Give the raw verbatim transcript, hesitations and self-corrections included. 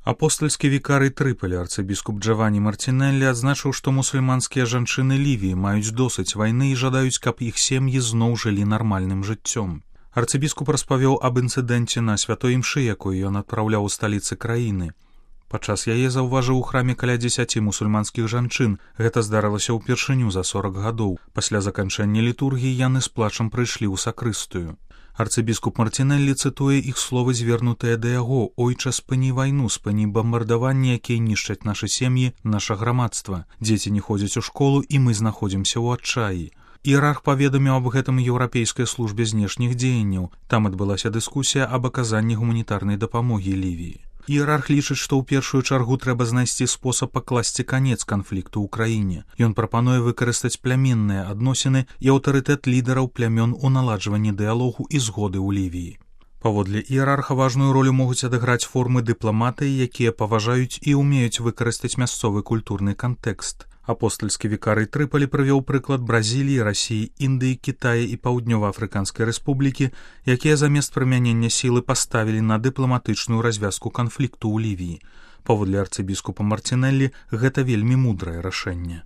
Апостальскі вікарый Трыполі арцыбіскуп Джаванні Мартинеллі адзначыў, што мусульманскія жанчыны Лівіі маюць досыць вайны і жадаюць, каб іх сем'і зноў жылі нармальным жыццём. Арцыбіскуп распавёў аб інцыдэнце на святой імшы, якую ён адпраўляў у сталіцы краіны. Падчас яе заўважыў у храме каля дзесяці мусульманскіх жанчын. Гэта здарылася ўпершыню за сорак гадоў. Пасля заканчэння літургіі яны з плачам прыйшлі ў сакрыстыю. Арцыбіскуп Мартинеллі цытуе іх словы, звернутыя да яго: «Ойча, спыні вайну, спыні бамбардаванні, якія нішчаць нашы сем'і, наша грамадства. Дзеці не ходзяць у школу, і мы знаходзімся ў адчаі». Іерарх паведаміў аб гэтым еўрапейскай службе знешніх дзеянняў. Там адбылася дыскусія аб аказанні гуманітарнай дапамогі Лівіі. Іерарх лічыць, што ў першую чаргу трэба знайсці спосаб пакласці канец канфлікту ў краіне. Ён прапануе выкарыстаць плямінныя адносіны і аўтарытэт лідараў плямён у наладжванні дыялогу і згоды ў Лівіі. Паводле іерарха важную ролю могуць адыграць формы дыпламатыі, якія паважаюць і ўмеюць выкарыстаць мясцовы культурны кантэкст. Апостальскі вікарый Трыполі прывёў прыклад Бразіліі, Расіі, Індыі, Кітая і Паўднёва-Афрыканскай рэспублікі, якія замест прымянення сілы паставілі на дыпламатычную развязку канфлікту ў Лівіі. Паводле арцыбіскупа Мартинеллі, гэта вельмі мудрае рашэнне.